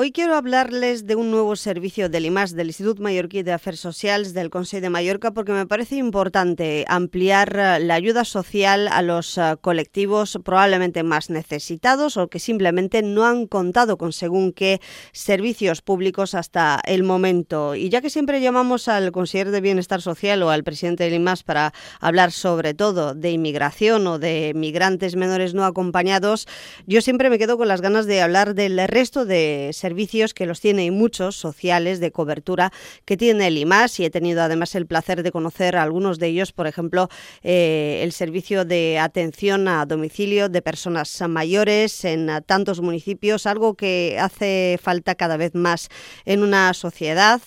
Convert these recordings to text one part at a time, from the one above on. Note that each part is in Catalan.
Hoy quiero hablarles de un nuevo servicio del IMAS, del Institut Mallorquí de Afers Socials del Consell de Mallorca, porque me parece importante ampliar la ayuda social a los colectivos probablemente más necesitados o que simplemente no han contado con según qué servicios públicos hasta el momento. Y ya que siempre llamamos al consejero de Bienestar Social o al presidente del IMAS para hablar sobre todo de inmigración o de migrantes menores no acompañados, yo siempre me quedo con las ganas de hablar del resto de servicios que los tiene y muchos sociales de cobertura que tiene el IMAS, y he tenido además el placer de conocer a algunos de ellos, por ejemplo, el servicio de atención a domicilio de personas mayores en tantos municipios, algo que hace falta cada vez más en una sociedad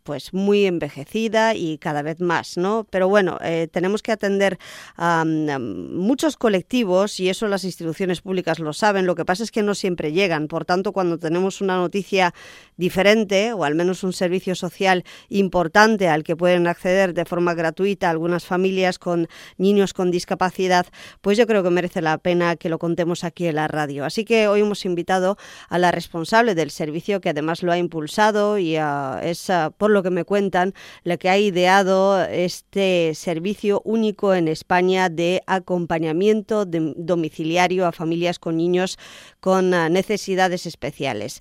pues muy envejecida y cada vez más, ¿no? Pero bueno, tenemos que atender a muchos colectivos y eso las instituciones públicas lo saben. Lo que pasa es que no siempre llegan. Por tanto, cuando tenemos una noticia diferente o al menos un servicio social importante al que pueden acceder de forma gratuita algunas familias con niños con discapacidad, pues yo creo que merece la pena que lo contemos aquí en la radio. Así que hoy hemos invitado a la responsable del servicio, que además lo ha impulsado y es, por lo que me cuentan, la que ha ideado este servicio único en España de acompañamiento domiciliario a familias con niños con necesidades especiales.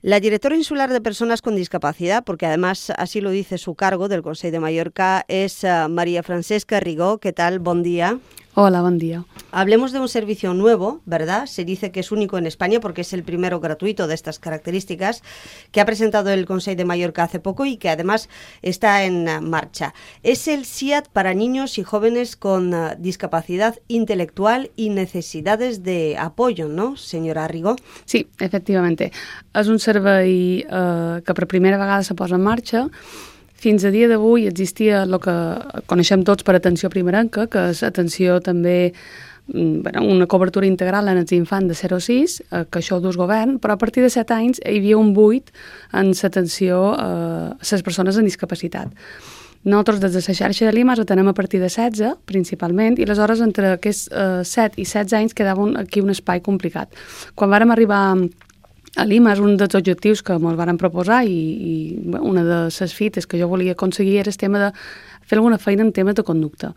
La directora insular de Personas con Discapacidad, porque además así lo dice su cargo del Consell de Mallorca, es María Francesca Rigó. ¿Qué tal? Buen día. Hola, buen día. Hablemos de un servicio nuevo, ¿verdad? Se dice que es único en España porque es el primero gratuito de estas características que ha presentado el Consell de Mallorca hace poco y que además está en marcha. Es el SIAD para niños y jóvenes con discapacidad intelectual y necesidades de apoyo, ¿no, senyora Rigó? Sí, efectivamente. És un servei que per primera vegada se posa en marxa. Fins a dia d'avui existia el que coneixem tots per atenció primerenca, que és atenció també, una cobertura integral en els infants de 0 a 6, que això ho dus govern, però a partir de 7 anys hi havia un buit en l'atenció a les persones amb discapacitat. Nosaltres des de la xarxa de l'IMAS ho tenem a partir de 16, principalment, i aleshores entre aquests 7 i 16 anys quedava aquí un espai complicat. Quan vàrem arribar a l'IMAS, un dels objectius que ens varen proposar i una de les fites que jo volia aconseguir era el tema de fer alguna feina en temes de conducta.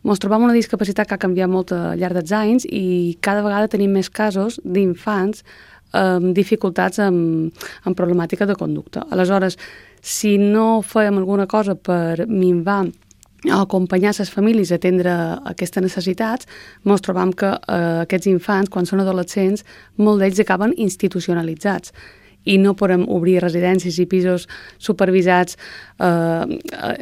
Ens trobam una discapacitat que ha canviat molt al llarg dels anys i cada vegada tenim més casos d'infants amb dificultats amb problemàtica de conducta. Aleshores, si no fèiem alguna cosa per minvar o acompanyar les famílies a atendre aquestes necessitats, ens trobam que aquests infants, quan són adolescents, molts d'ells acaben institucionalitzats i no podem obrir residències i pisos supervisats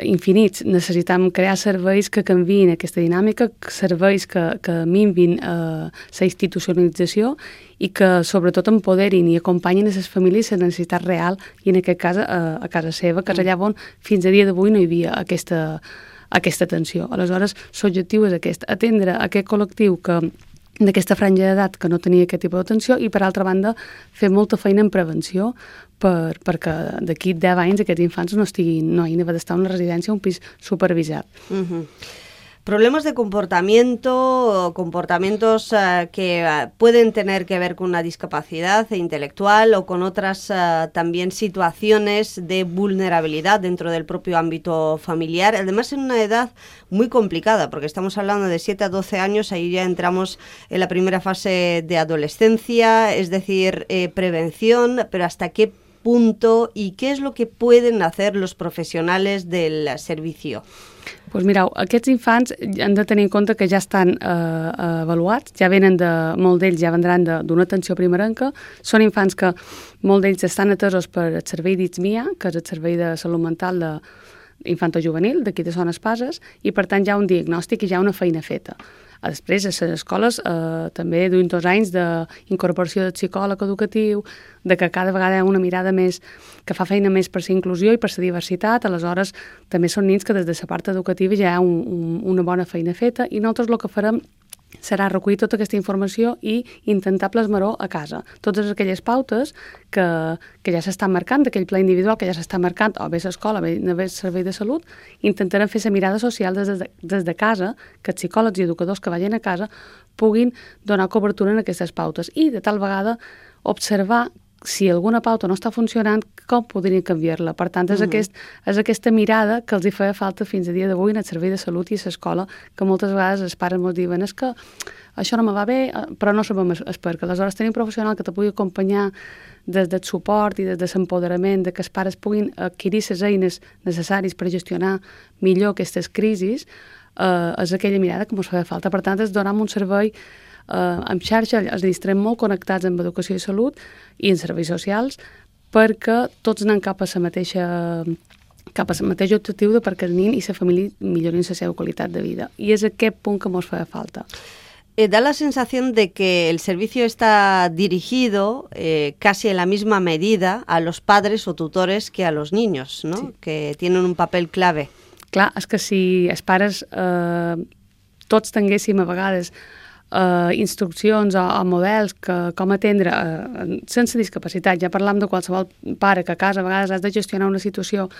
infinits. Necessitem crear serveis que canviïn aquesta dinàmica, serveis que minvin la institucionalització i que sobretot empoderin i acompanyin a les famílies la necessitat real i en aquest cas a casa seva, que és allà on fins a dia d'avui no hi havia aquesta atenció. Aleshores, l'objectiu és aquest, atendre aquest col·lectiu d'aquesta franja d'edat que no tenia aquest tipus d'atenció i, per altra banda, fer molta feina en prevenció perquè d'aquí 10 anys aquests infants no hagin d'estar en una residència o un pis supervisat. Problemas de comportamiento, comportamientos que pueden tener que ver con una discapacidad intelectual o con otras también situaciones de vulnerabilidad dentro del propio ámbito familiar, además en una edad muy complicada, porque estamos hablando de 7 a 12 años, ahí ya entramos en la primera fase de adolescencia, es decir, prevención, pero ¿hasta qué punto y qué es lo que pueden hacer los profesionales del servicio? Doncs mireu, aquests infants han de tenir en compte que ja estan avaluats, molts d'ells ja vendran d'una atenció primerenca, són infants que molts d'ells estan atesos per el servei d'ITSMIA, que és el servei de salut mental infantojuvenil d'aquí de Son Espases, i per tant hi ha un diagnòstic i hi ha una feina feta. Després, a les escoles també duim 2 anys d'incorporació del psicòleg educatiu, de que cada vegada hi ha una mirada més, que fa feina més per la inclusió i per la diversitat. Aleshores, també són nins que des de la part educativa ja hi ha una bona feina feta i nosaltres el que farem serà recollir tota aquesta informació i intentar plasmar-ho a casa. Totes aquelles pautes que ja s'estan marcant, d'aquell pla individual que ja s'està marcant, o bé a l'escola, o bé al servei de salut, intentarem fer la mirada social des de casa, que els psicòlegs i educadors que vagin a casa puguin donar cobertura en aquestes pautes i de tal vegada observar si alguna pauta no està funcionant, com podrien canviar-la? Per tant, és aquesta mirada que els hi feia falta fins a dia d'avui en el servei de salut i a l'escola, que moltes vegades els pares ens diuen és que això no me va bé, però no sabem per què. Aleshores, tenir un professional que te pugui acompanyar des del suport i des de l'empoderament, que els pares puguin adquirir les eines necessàries per gestionar millor aquestes crisis, és aquella mirada que ens feia falta. Per tant, és donar un servei amb xarxa, els estarem molt connectats amb educació i salut i en serveis socials perquè tots anem cap a la mateix objectiu de perquè el nen i la família millorin la seva qualitat de vida. I és aquest punt que ens feia falta. Da la sensación de que el servicio está dirigido casi en la misma medida a los padres o tutores que a los niños, ¿no? Sí. Que tienen un papel clave. Clar, és que si els pares tots tinguéssim a vegades instruccions o models que com atendre sense discapacitat, ja parlam de qualsevol pare que a casa a vegades has de gestionar una situació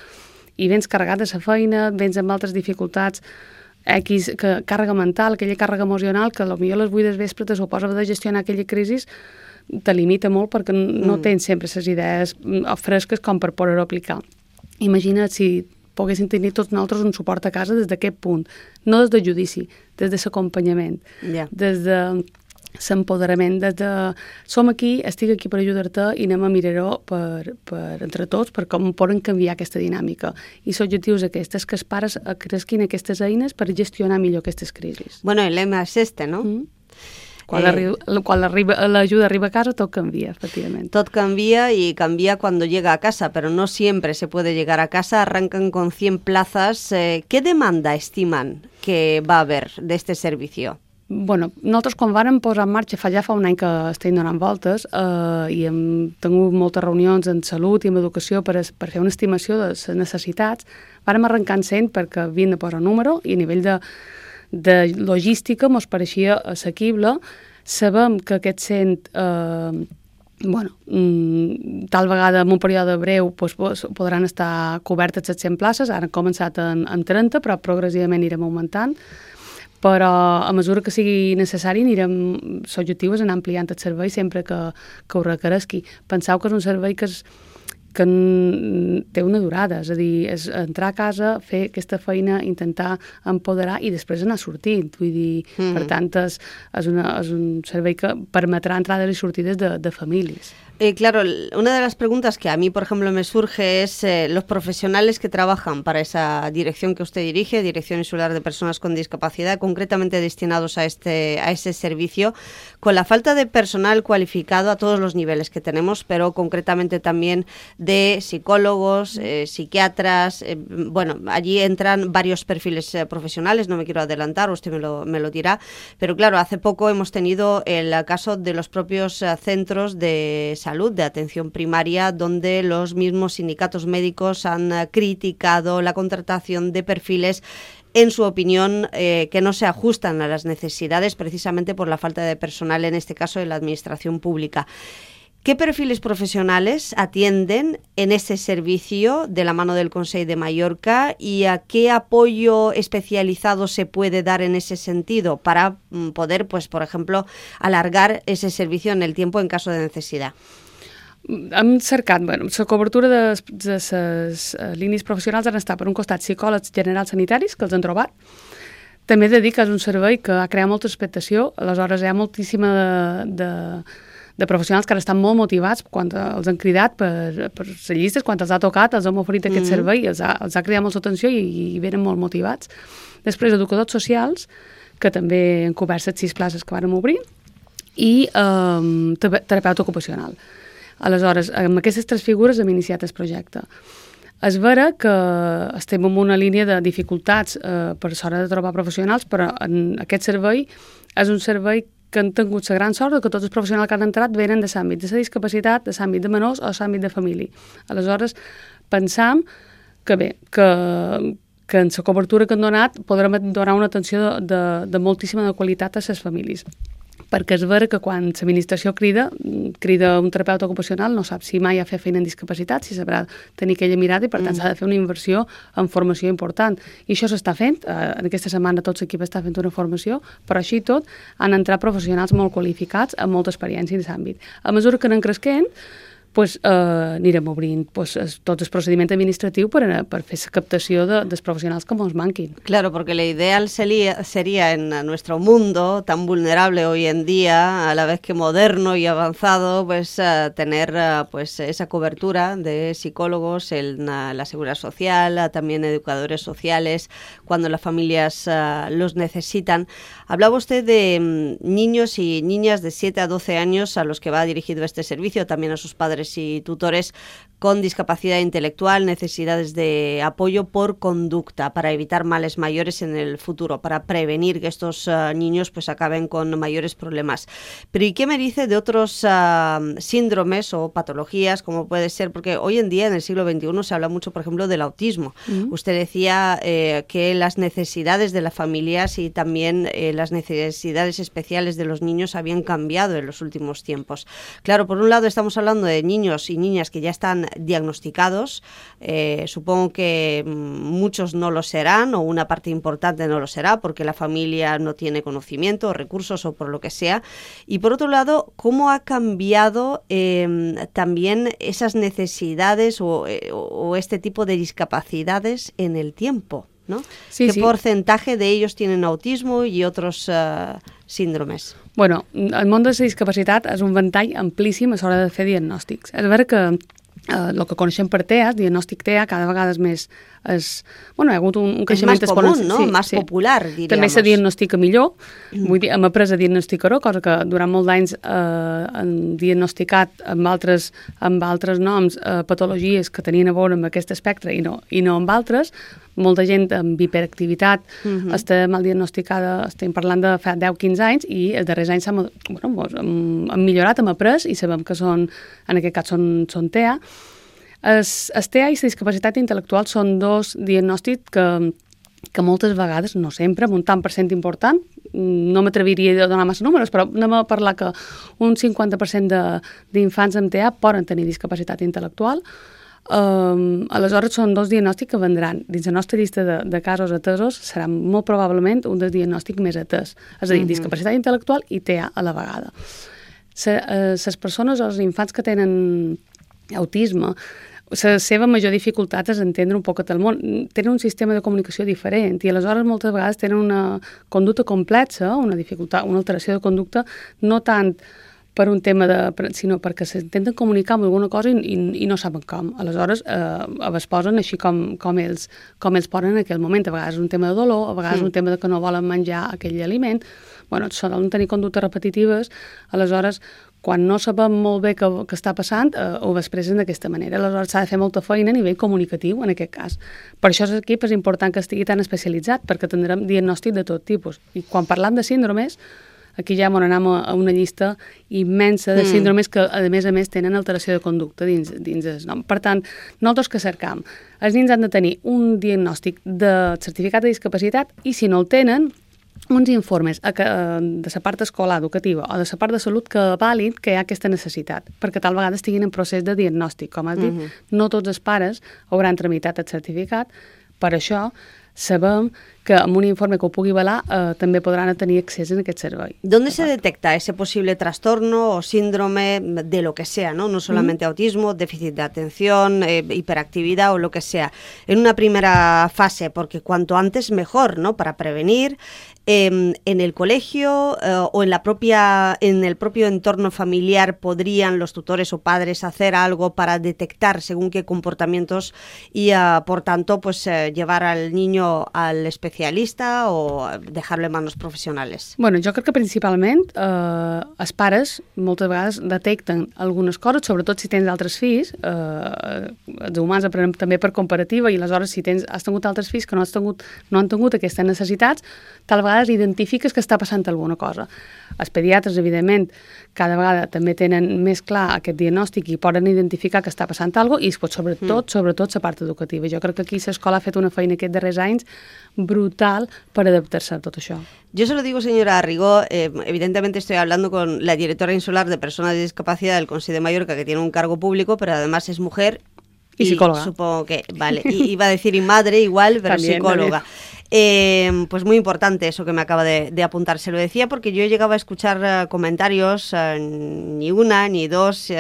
i vens carregat de la feina, vens amb altres dificultats, càrrega mental, aquella càrrega emocional que potser a les 8 del vespre te suposa de gestionar aquella crisi, te limita molt perquè no tens sempre les idees fresques com per poder-ho aplicar. Imagina't si poguéssim tenir tots nosaltres un suport a casa des d'aquest punt, no des del judici, des de l'acompanyament, des de l'empoderament, des de som aquí, estic aquí per ajudar-te i anem a mirar-ho entre tots per com poden canviar aquesta dinàmica. I l'objectiu és aquest, és que els pares cresquin aquestes eines per gestionar millor aquestes crisis. Bueno, el lema és este, no? Quan l'ajuda arriba a casa, tot canvia, efectivament. Tot canvia y cambia cuando llega a casa, pero no siempre se puede llegar a casa. Arrancan con 100 plazas. ¿Qué demanda estiman que va a haber de este servicio? Bueno, nosaltres quan vàrem posar en marxa ja fa un any que estem donant voltes i hem tingut moltes reunions en salut i en educació per fer una estimació de les necessitats, vàrem arrencar en 100 perquè havien de posar número i a nivell de logística ens pareixia assequible. Sabem que aquests 100 tal vegada en un període breu podran estar cobertes les 100 places, ara han començat en 30 però progressivament anirem augmentant, però a mesura que sigui necessari l'objectiu és anar ampliant el servei sempre que ho requereixi. Penseu que és un servei que té una durada, és a dir, és entrar a casa, fer aquesta feina, intentar empoderar i després anar sortint. Vull dir, per tant, és un servei que permetrà entrades i sortides de famílies. Claro, una de las preguntas que a mí, por ejemplo, me surge es los profesionales que trabajan para esa dirección que usted dirige, Dirección Insular de Personas con Discapacidad, concretamente destinados a ese servicio, con la falta de personal cualificado a todos los niveles que tenemos, pero concretamente también de psicólogos, psiquiatras. Bueno, allí entran varios perfiles profesionales, no me quiero adelantar, usted me lo dirá, pero claro, hace poco hemos tenido el caso de los propios centros de salud, de atención primaria, donde los mismos sindicatos médicos han criticado la contratación de perfiles, en su opinión, que no se ajustan a las necesidades precisamente por la falta de personal, en este caso en la administración pública. ¿Qué perfiles profesionales atienden en ese servicio de la mano del Consell de Mallorca y a qué apoyo especializado se puede dar en ese sentido para poder, pues, por ejemplo, alargar ese servicio en el tiempo en caso de necesidad? Hem cercat, la cobertura de les línies professionals han estat per un costat psicòlegs generals sanitaris, que els han trobat. També he de dir que és un servei que ha creat molta expectació, aleshores hi ha moltíssima de professionals que ara estan molt motivats quan els han cridat per les llistes, quan els ha tocat, els hem oferit aquest servei, els ha cridat molta atenció i venen molt motivats. Després, educadors socials, que també han cobert les 6 places que vàrem obrir, i terapeuta ocupacional. Aleshores, amb aquestes 3 figures hem iniciat el projecte. És vera que estem en una línia de dificultats per l'hora de trobar professionals, però en aquest servei és un servei que han tingut la gran sort que tots els professionals que han entrat venen de l'àmbit de la discapacitat, de l'àmbit de menors o de l'àmbit de família. Aleshores, pensam que bé, que en la cobertura que han donat podrem donar una atenció de moltíssima qualitat a les famílies. Perquè és vera que quan l'administració crida un terapeuta ocupacional, no sap si mai ha fet feina en discapacitat, si sabrà tenir aquella mirada i per tant s'ha de fer una inversió en formació important. I això s'està fent, en aquesta setmana tot l'equip està fent una formació, però així tot han entrat professionals molt qualificats amb molta experiència en aquest àmbit. A mesura que anem cresquent, anirem obrint tot el procediment administratiu per fer la captació dels professionals que ens manquin. Claro, porque lo ideal sería en nuestro mundo tan vulnerable hoy en día, a la vez que moderno y avanzado, pues tener pues esa cobertura de psicólogos en la seguridad social, también educadores sociales, cuando las familias los necesitan. Hablaba usted de niños y niñas de 7 a 12 años a los que va dirigido este servicio, también a sus padres y tutores con discapacidad intelectual, necesidades de apoyo por conducta para evitar males mayores en el futuro, para prevenir que estos niños pues acaben con mayores problemas. Pero ¿y qué me dice de otros síndromes o patologías, como puede ser? Porque hoy en día, en el siglo XXI, se habla mucho, por ejemplo, del autismo. Usted decía que las necesidades de las familias y también las necesidades especiales de los niños habían cambiado en los últimos tiempos. Claro, por un lado estamos hablando de niños y niñas que ya están diagnosticados, supongo que muchos no lo serán o una parte importante no lo será porque la familia no tiene conocimiento o recursos o por lo que sea. Y por otro lado, ¿cómo ha cambiado también esas necesidades o este tipo de discapacidades en el tiempo, ¿no? ¿Qué porcentaje de ellos tienen autismo y otros síndromes? Bueno, el món de la discapacitat és un ventall amplíssim a l'hora de fer diagnòstics. És vera que el que coneixem per TEA, el diagnòstic TEA, cada vegada és més... hi ha hagut un creixement exponencial. És més comú, no? Més popular, diríem. També se diagnostica millor. Vull dir, hem après a diagnosticar-ho, cosa que durant molts anys han diagnosticat amb altres noms patologies que tenien a veure amb aquest espectre i no amb altres. Molta gent amb hiperactivitat està mal diagnosticada, estem parlant de fa 10-15 anys, i els darrers anys han millorat, hem après, i sabem que en aquest cas són TEA. El TEA i la discapacitat intel·lectual són dos diagnòstics que moltes vegades, no sempre, amb un tant per cent important, no m'atreviria a donar massa números, però anem a parlar que un 50% d'infants amb TEA poden tenir discapacitat intel·lectual. Aleshores són dos diagnòstics que vendran dins la nostra llista de casos atesos, serà molt probablement un dels diagnòstics més atès, és a dir, discapacitat intel·lectual i TEA a la vegada. Les persones o els infants que tenen autisme, la seva major dificultat és entendre un poc el món, tenen un sistema de comunicació diferent i aleshores moltes vegades tenen una conducta complexa, una dificultat, una alteració de conducta, no tant per un tema sinó perquè s'intenten comunicar amb alguna cosa i no saben com. Aleshores es posen així com ells poden en aquell moment. A vegades és un tema de dolor, a vegades és un tema de que no volen menjar aquell aliment. Solen tenir conductes repetitives, aleshores quan no sabem molt bé què està passant, ho expressen d'aquesta manera. Aleshores s'ha de fer molta feina a nivell comunicatiu, en aquest cas. Per això l'equip és important que estigui tan especialitzat, perquè tindrem diagnòstic de tot tipus. I quan parlam de síndromes, aquí ja anem a una llista immensa de síndromes que, a més, tenen alteració de conducta dins el nom. Per tant, nosaltres que cercam? Els nens han de tenir un diagnòstic de certificat de discapacitat i, si no el tenen, uns informes de la part escolar, educativa o de la part de salut que valid que hi ha aquesta necessitat, perquè tal vegada estiguin en procés de diagnòstic. Com has dit, no tots els pares hauran tramitat el certificat, per això sabem que amb un informe que ho pugui avalar també podran tenir accés a aquest servei. ¿Dónde se detecta ese posible trastorno o síndrome de lo que sea, no solamente autismo, déficit de atención, hiperactividad o lo que sea? En una primera fase, porque cuanto antes mejor, ¿no? Para prevenir. En el colegio o en el propio entorno familiar podrían los tutores o padres hacer algo para detectar según qué comportamientos y por tanto pues llevar al niño al especialista o dejarlo en manos professionals? Bueno, jo crec que principalment els pares moltes vegades detecten algunes coses, sobretot si tens altres fills, els humans aprenem també per comparativa i aleshores si has tingut altres fills que no han tingut aquestes necessitats, tal vegada identifiques que està passant alguna cosa. Els pediatres, evidentment, cada vegada també tenen més clar aquest diagnòstic i poden identificar que està passant alguna cosa i sobretot la part educativa. Jo crec que aquí l'escola ha fet una feina aquests darrers anys brutal per adaptar-se a tot això. Yo se lo digo, señora Arrigó, evidentemente estoy hablando con la directora insular de personas de discapacidad del Consell de Mallorca, que tiene un cargo público, pero además es mujer y psicóloga. Supongo que, vale, iba a decir y madre igual, pero también, psicóloga. Pues muy importante eso que me acaba de apuntar. Se lo decía porque yo llegaba a escuchar comentarios, ni una ni dos,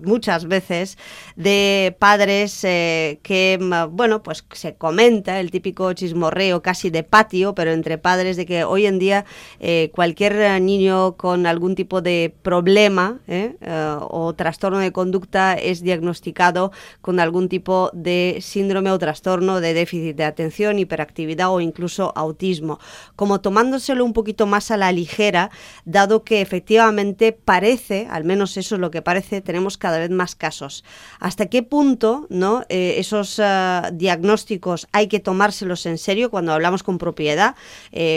muchas veces, de padres que, bueno, pues se comenta el típico chismorreo casi de patio, pero entre padres, de que hoy en día cualquier niño con algún tipo de problema o trastorno de conducta es diagnosticado con algún tipo de síndrome o trastorno de déficit de atención, hiperactividad o incluso autismo, como tomándoselo un poquito más a la ligera, dado que efectivamente parece, al menos eso es lo que parece, tenemos cada vez más casos. ¿Hasta qué punto, ¿no? Esos diagnósticos hay que tomárselos en serio cuando hablamos con propiedad?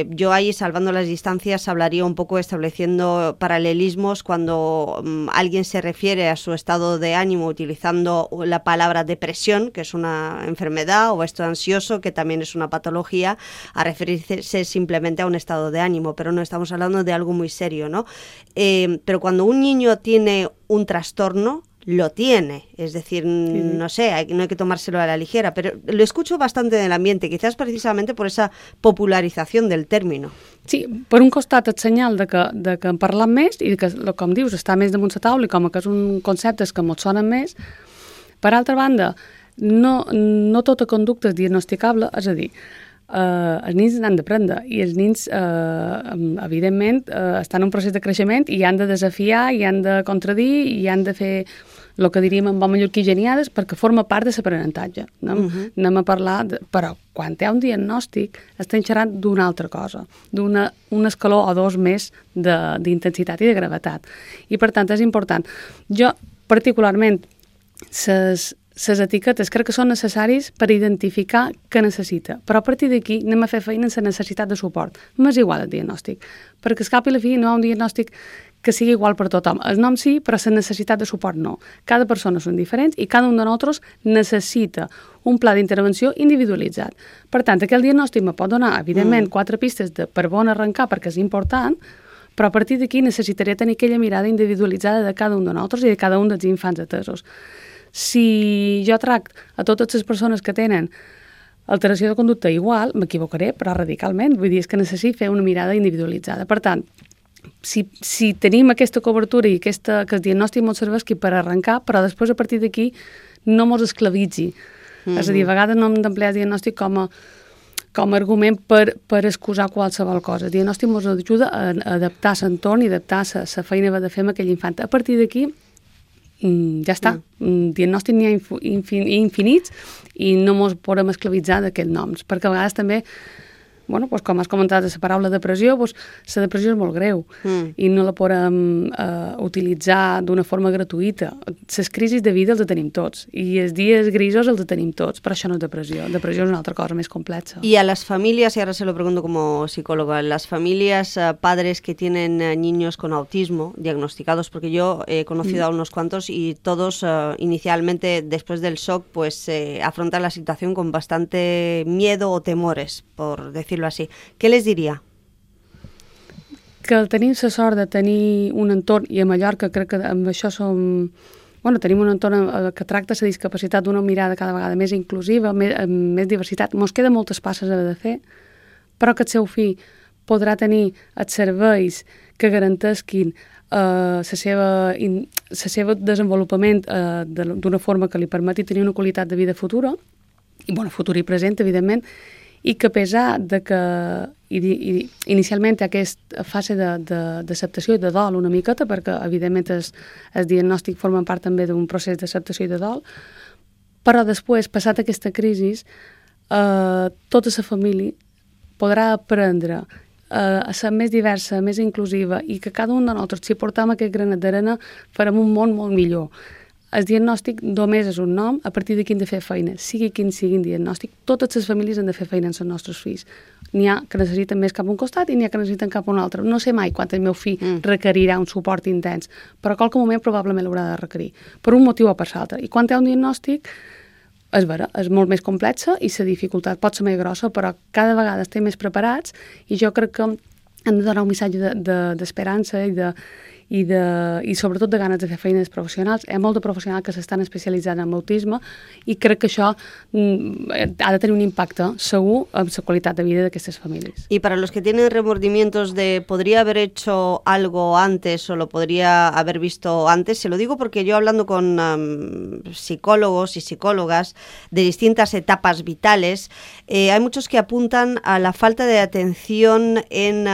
Yo ahí, salvando las distancias, hablaría un poco estableciendo paralelismos cuando alguien se refiere a su estado de ánimo utilizando la palabra depresión, que es una enfermedad, o esto ansioso, que también es una patología, a referirse simplemente a un estado de ánimo, pero no estamos hablando de algo muy serio, ¿no? Pero cuando un niño tiene un trastorno, lo tiene, es decir, no sé, no hay que tomárselo a la ligera, pero lo escucho bastante en el ambiente, quizás precisamente por esa popularización del término. Sí, per un costat et senyal de que en parlam més i que, com dius, està més damunt la taula i com que és un concepte que ens sonen més. Per altra banda, no tota conducta és diagnosticable, és a dir, els nens n'han d'aprendre i els nens, evidentment, estan en un procés de creixement i han de desafiar, i han de contradir i han de fer el que diríem en bon mallorquí geniades perquè forma part de l'aprenentatge. Anem a parlar, però quan hi ha un diagnòstic estem xerrant d'una altra cosa, d'un escaló o dos més d'intensitat i de gravetat. I per tant és important. Jo, particularment, les etiquetes crec que són necessaris per identificar què necessita, però a partir d'aquí anem a fer feina en la necessitat de suport. M'és igual el diagnòstic, perquè al cap i la fi no hi ha un diagnòstic que sigui igual per tothom. El nom sí, però la necessitat de suport no. Cada persona són diferents i cada un de nosaltres necessita un pla d'intervenció individualitzat. Per tant, aquell diagnòstic me pot donar, evidentment, 4 pistes per on arrencar, perquè és important, però a partir d'aquí necessitaré tenir aquella mirada individualitzada de cada un de nosaltres i de cada un dels infants atesos. Si jo tracto a totes les persones que tenen alteració de conducta igual, m'equivocaré, però radicalment. Vull dir, és que necessito fer una mirada individualitzada. Per tant, si tenim aquesta cobertura i que el diagnòstic ens serveixi per arrencar, però després a partir d'aquí no ens esclavitzi. És a dir, a vegades no hem d'emplear el diagnòstic com a argument per excusar qualsevol cosa. El diagnòstic ens ajuda a adaptar l'entorn i adaptar la feina que ha de fer amb aquell infant. A partir d'aquí ja està. Diagnòstic n'hi ha infinits i no ens podem esclavitzar d'aquests noms, perquè a vegades també, bueno, pues, com has comentat, la paraula depressió, pues, la depressió és molt greu i no la podem utilitzar d'una forma gratuïta. Les crisis de vida els tenim tots i els dies grisos els tenim tots, però això no és depressió. Depressió és una altra cosa més complexa. Y a las familias, y ahora se lo pregunto como psicóloga, las familias, padres que tienen niños con autismo diagnosticados, porque yo he conocido a unos cuantos y todos inicialmente, después del shock, pues afrontan la situación con bastante miedo o temores, por decirlo así. ¿Qué les diria? Que tenim la sort de tenir un entorn, i a Mallorca crec que amb això tenim un entorn que tracta la discapacitat d'una mirada cada vegada més inclusiva, amb més diversitat. Ens queda moltes passes a de fer, però que el seu fill podrà tenir els serveis que garanteixin el seu desenvolupament d'una forma que li permeti tenir una qualitat de vida futura, i futura i present, evidentment, i que a pesar de que inicialment hi ha aquesta fase d'acceptació i de dol una miqueta, perquè evidentment el diagnòstic forma part també d'un procés d'acceptació i de dol, però després, passat aquesta crisi, tota la família podrà aprendre a ser més diversa, més inclusiva, i que cada un de nosaltres, si portem aquest granet d'arena, farem un món molt millor. El diagnòstic només és un nom, a partir d'aquí hem de fer feina. Sigui quin sigui el diagnòstic, totes les famílies han de fer feina amb els nostres fills. N'hi ha que necessiten més cap a un costat i n'hi ha que necessiten cap a un altre. No sé mai quan el meu fill requerirà un suport intens, però a qualque moment probablement l'haurà de requerir, per un motiu o per l'altre. I quan hi ha un diagnòstic, és vera, és molt més complexa i la dificultat pot ser més grossa, però cada vegada estem més preparats i jo crec que hem de donar un missatge d'esperança i sobretot de ganes de fer feines professionals. Hi ha molt de professionals que s'estan especialitzant en autisme i crec que això ha de tenir un impacte segur en la qualitat de vida d'aquestes famílies. Y para los que tienen remordimientos de podría haber hecho algo antes o lo podría haber visto antes, se lo digo porque yo hablando con psicólogos y psicólogas de distintas etapas vitales, hay muchos que apuntan a la falta de atención en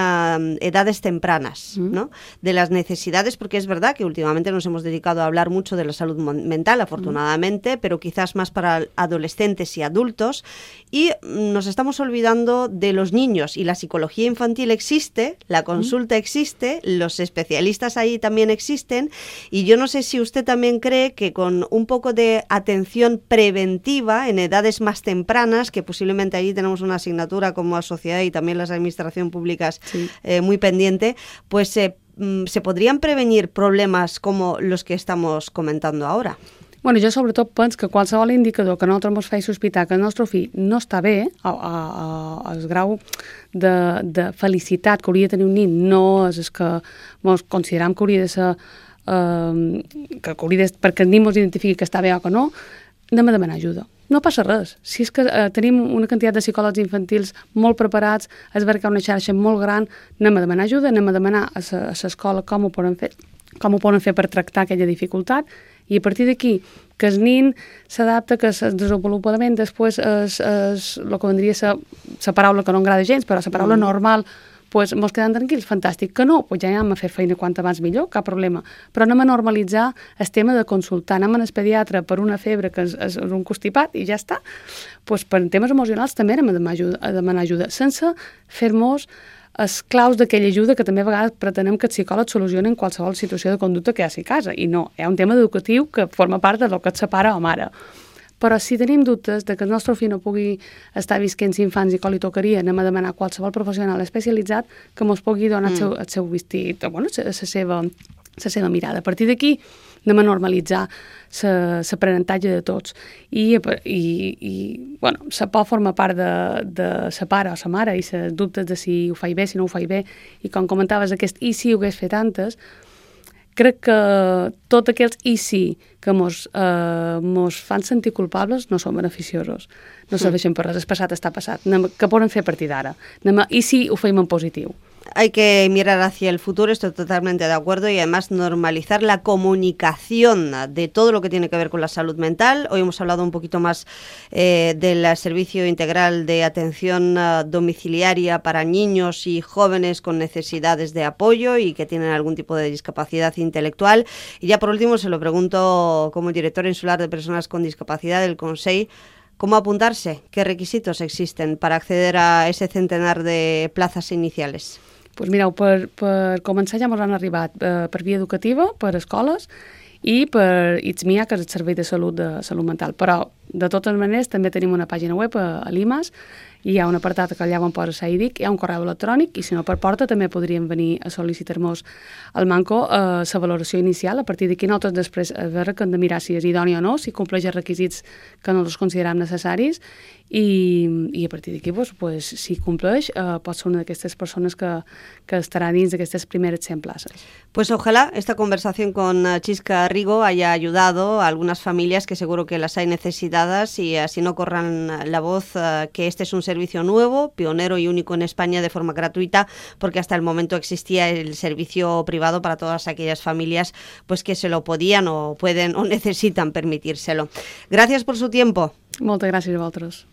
edades tempranas, ¿no? De las necesidades, porque es verdad que últimamente nos hemos dedicado a hablar mucho de la salud mental, afortunadamente, pero quizás más para adolescentes y adultos, y nos estamos olvidando de los niños, y la psicología infantil existe, la consulta existe, los especialistas ahí también existen, y yo no sé si usted también cree que con un poco de atención preventiva en edades más tempranas, que posiblemente allí tenemos una asignatura como sociedad y también las administraciones públicas muy pendiente, pues se podrían prevenir problemas como los que estamos comentando ahora. Bueno, jo sobretot penso que qualsevol indicador que a nosaltres ens faci sospitar que el nostre fill no està bé, el grau de felicitat que hauria de tenir un nin no és el que ens consideram que hauria de ser, perquè el nin ens identifiqui que està bé o que no, anem a demanar ajuda. No passa res. Si és que tenim una quantitat de psicòlegs infantils molt preparats, és veritat que una xarxa molt gran, anem a demanar ajuda, anem a demanar a l'escola com ho poden fer per tractar aquella dificultat, i a partir d'aquí que el nin s'adapta, que el desenvolupament després és el que vendria a ser la paraula que no agrada gens, però la paraula normal, doncs ens quedem tranquils, fantàstic. Que no, doncs ja anem a fer feina quant abans millor, cap problema. Però anem a normalitzar el tema de consultar, anem al pediatre per una febre que és un constipat i ja està. Doncs per temes emocionals també anem a demanar ajuda, sense fer-nos els claus d'aquella ajuda que també a vegades pretenem que els psicòlegs solucionen qualsevol situació de conducta que hi ha a casa. I no, hi ha un tema educatiu que forma part del que et separa o mare. Però si tenim dubtes de que el nostre fill no pugui estar visquent infants i que li tocaria, anem a demanar a qualsevol professional especialitzat que ens pugui donar el seu vestit, bueno, la seva mirada. A partir d'aquí anem a normalitzar l'aprenentatge de tots. I bueno, la por forma part de la pare o la mare i els dubtes de si ho faig bé, si no ho faig bé. I com comentaves, aquest i si ho hagués fet antes, crec que tots aquells i si que mos fan sentir culpables no són beneficiosos. No serveixen per res, el passat està passat. Què podem fer a partir d'ara? I si ho fem en positiu? Hay que mirar hacia el futuro, estoy totalmente de acuerdo, y además normalizar la comunicación de todo lo que tiene que ver con la salud mental. Hoy hemos hablado un poquito más del servicio integral de atención domiciliaria para niños y jóvenes con necesidades de apoyo y que tienen algún tipo de discapacidad intelectual. Y ya por último se lo pregunto como director insular de personas con discapacidad del Consell, ¿cómo apuntarse? ¿Qué requisitos existen para acceder a ese centenar de plazas iniciales? Pues mireu, per començar ja ens han arribat per via educativa, per escoles, i per ITSMIA, que és el Servei de Salut Mental. Però, de totes maneres, també tenim una pàgina web a l'IMAS, i hi ha un apartat que allà on posa SAIDIC, hi ha un correu electrònic, i si no per porta també podríem venir a sol·licitar-nos al Manco la valoració inicial. A partir d'aquí nosaltres després a veure que hem de mirar si és idoni o no, si compleix els requisits que nosaltres considerem necessaris, i a partir d'aquí, pues, si compleix, pot ser una d'aquestes persones que estarà dins d'aquestes primeres 100 places. Pues ojalá esta conversación con Chisca Rigo haya ayudado a algunas familias que seguro que las hay necesitadas y así no corran la voz que este es un servicio nuevo, pionero y único en España de forma gratuita, porque hasta el momento existía el servicio privado para todas aquellas familias pues que se lo podían o pueden o necesitan permitírselo. Gracias por su tiempo. Moltes gràcies a vosaltres.